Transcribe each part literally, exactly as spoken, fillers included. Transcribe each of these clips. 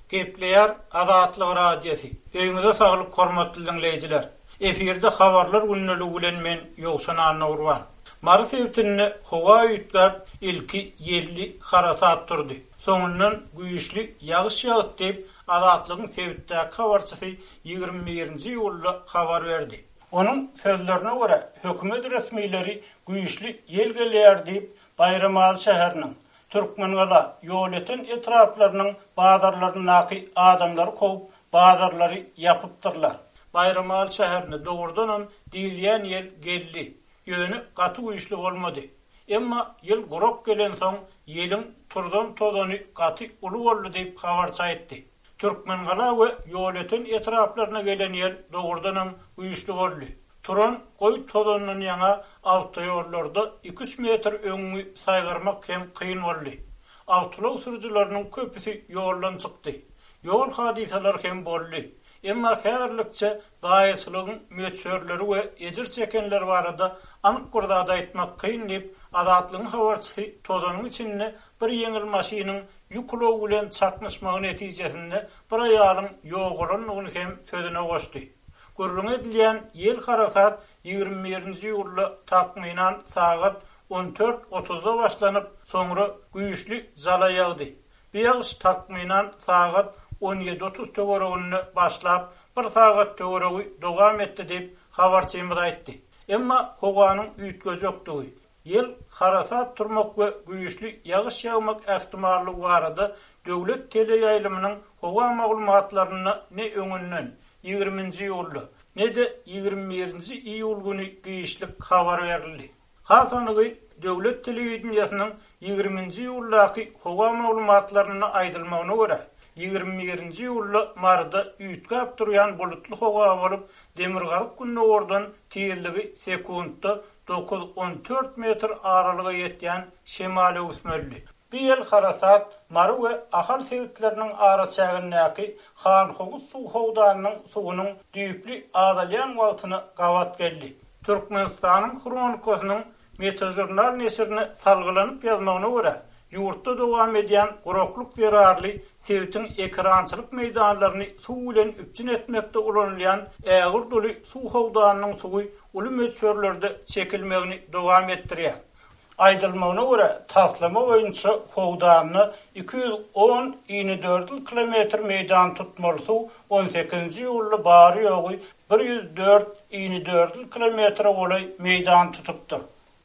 Gepleýär Azatlyk Radiosy. Öýüňize saglyk hormatly diňleýjiler. Efirde habarlar gündeligi bilen men Ýowşan Annagurban. Mary sebitinde howa üýtgäp, ilki ýelli harasat turdy. Soňundan güýçli ýagyş ýagdy diýip, Azatlygyň sebitdäki habarçysy ýigrimi birinji iýulda habar berdi. Onuň sözlerine görä, hökümet resmileri güýçli ýel gelýär diýip, Baýramaly şäheriniň, Türkmengala, Ýolöten etraplarynyň bazarlaryndaky adamlary kowup, bazarlary ýapypdyrlar. Baýramaly şäherinde dogrudanam diýilýän ýel geldi. Ýöne gaty güýçli bolmady. Emma ýyl gurak gelensoň, ýeliň turzan tozany gaty uly boldy diýip habarçy aýtdy. Türkmengala we Ýolöten etraplaryna gelen ýel dogrudanam güýçli boldy. Turan goý tozandan ýaňa awtoýollarda iki-üç metr öňüňi saýgarmak hem kyn boldy. Awtoulag sürüjileriniň köpüsi ýoldan çykdy. Ýol hadysalary hem boldy. Emma häzirlikçe zaýaçylygyň möçberleri we ejir çekenler barada anyk bir zat aýtmak kyn diýip, Azatlygyň habarçysy tozanyň içinde bir ýeňil maşynyň ýük ulagy bilen çaknyşmagy netijesinde bir aýalyň ýogalandygyny hem sözüne goşdy. Gürrüň edilýän ýel harasat ýigrimi birinji iýulda takmynan sagat on dört otuzda başlanyp, soňra güýçli jala ýagdy. Bu ýagyş takmynan sagat on ýedi otuz töwereginde başlap, bir sagat töweregi dowam etdi diýip, habarçymyz aýtdy. Emma howanyň üýtgejekdigi, ýel harasat turmak we güýçli ýagyş ýagmak ähtimallygy barada döwlet teleýaýlymynyň howa maglumatlarynda ne öňünden ýigriminji iýulda, ne-de ýigrimi birinji iýul güni giçlik habar berildi. Has anygy döwlet telewideniýesiniň ýigriminji iýuldaky howa maglumatlarynda aýdylmagyna görä, ýigrimi birinji iýulda Maryda üýtgäp durýan bulutly howa bolup, demirgazyk gündogardan tizligi sekuntda dokuz on dört metr aralyga ýetýän şemal öwüsmelidi. Bu ýel harasat Mary we Ahal sebitleriniň araçägindäki Hanhowuz suw howdanynyň suwunyň düýpli azalýan wagtyna gabat geldi. Türkmenistanyň Hronikasynyň Metejurnal neşirine salgylanyp ýazmagyna görä, ýurtda dowam edýän guraklyk zerarly sebitiň ekrançylyk meýdanlaryny suw bilen üpjün etmekde ulanylýan ägirt uly suw howdanynyň suwy uly möçberlerde çekilmegini dowam etdirýär. Aýdylmagyna görä, taslama boýunça howdanyna iki ýüz on inedördül kilometr meýdan tutmaly suw on sekizinji iýulda bary ýogy bir ýüz dört inedördül kilometre golaý meýdan tutupdyr.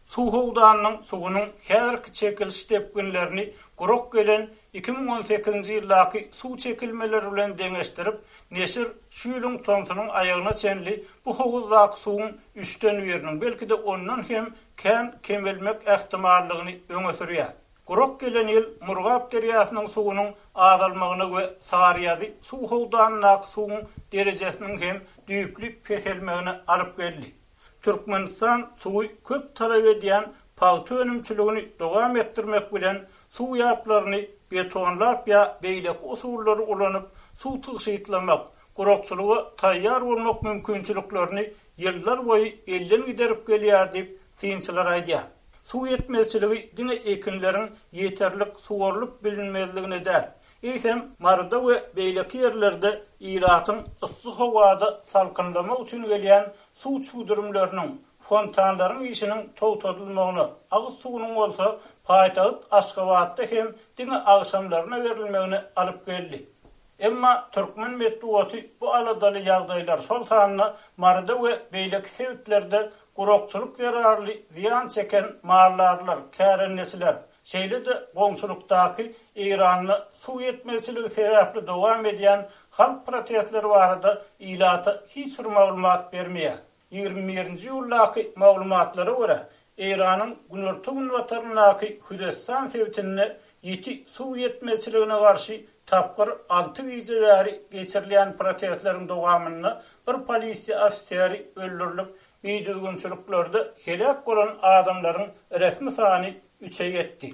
Suw howdanynyň suwunyň häzirki çekiliş depginlerini gurak gelen iki müň on sekizinji ýyldaky suw çekilmeleri bilen deňeşdirip, neşir şu ýylyň tomsunyň aýagyna çenli bu howuzdaky suwuň üçden biriniň, belki-de ondan hem kän kemelmek ähtimallygyny öňe sürýär. Gurak gelen ýyl Murgap derýasynyň suwunyň azalmagyna we Saryýazy suw howdanyndaky suwuň derejesiniň hem düýpli peselmegine alyp geldi. Türkmenistan suwy köp talap edýän pagta önümçiligini dowam etdirmek bilen suw ýaplaryny betonlap ýa beýleki usullary ulanyp, suw tygşytlamak, gurakçylyga taýýar bolmak mümkinçiliklerini ýyllar boýy elden giderip gelýär diýip synçylar aýdýar. Suw ýetmezçiligi diňe ekinleriň ýeterlik suwarylyp bilinmezligine däl, eýsem Maryda we beýleki ýerlerde ilatyň yssy howada salkynlamak üçin gelýän suw çüwdürimleriniň, fontanlaryň işiniň togtadylmagyna, agyz suwunyň bolsa paýtagt Aşgabatda hem diňe agşamlaryna berilmegine alyp geldi. Emma türkmen metbugaty bu aladaly ýagdaýlar şol sanda Maryda we beýleki sebitlerde gurakçylyk zerarly zyýan çeken maldarlar, kärendeçiler, şeýle-de goňşulykdaky Eýranda suw ýetmezçiligi sebäpli dowam edýän halk protestleri barada ilata hiç bir maglumat bermeýär. Ýigrimi birinji iýuldaky maglumatlara görä, Eýranyň günorta-günbataryndaky Hüzestan sebitinde ýiti suw ýetmezçiligine garşy tapgyr alty gije bäri geçirilýän protestleriň dowamynda bir polisiýa ofiseri öldürilip, bidüzgünçiliklerde heläk bolan adamlaryň resmi sany üçe ýetdi.